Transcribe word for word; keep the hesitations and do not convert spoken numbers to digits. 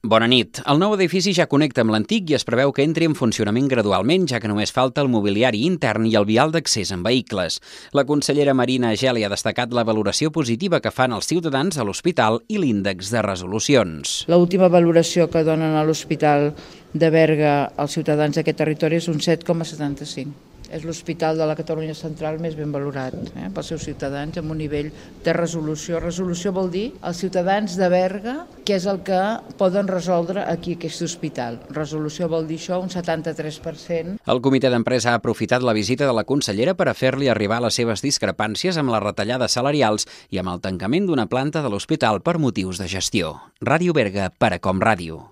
Bona nit. El nou edifici ja connecta amb l'antic i es preveu que entri en funcionament gradualment, ja que només falta el mobiliari intern i el vial d'accés en vehicles. La consellera Marina Geli ha destacat la valoració positiva que fan els ciutadans a l'hospital i l'índex de resolucions. L'última valoració que donen a l'Hospital de Berga als ciutadans d'aquest territori és un set coma setanta-cinc. És l'hospital de la Catalunya Central més ben valorat eh, pels seus ciutadans, amb un nivell de resolució. Resolució vol dir els ciutadans de Berga, que és el que poden resoldre aquí aquest hospital. Resolució vol dir això, un setanta-tres per cent. El comitè d'empresa ha aprofitat la visita de la consellera per a fer-li arribar les seves discrepàncies amb les retallades salarials i amb el tancament d'una planta de l'hospital per motius de gestió. Ràdio Berga, per a Com Ràdio.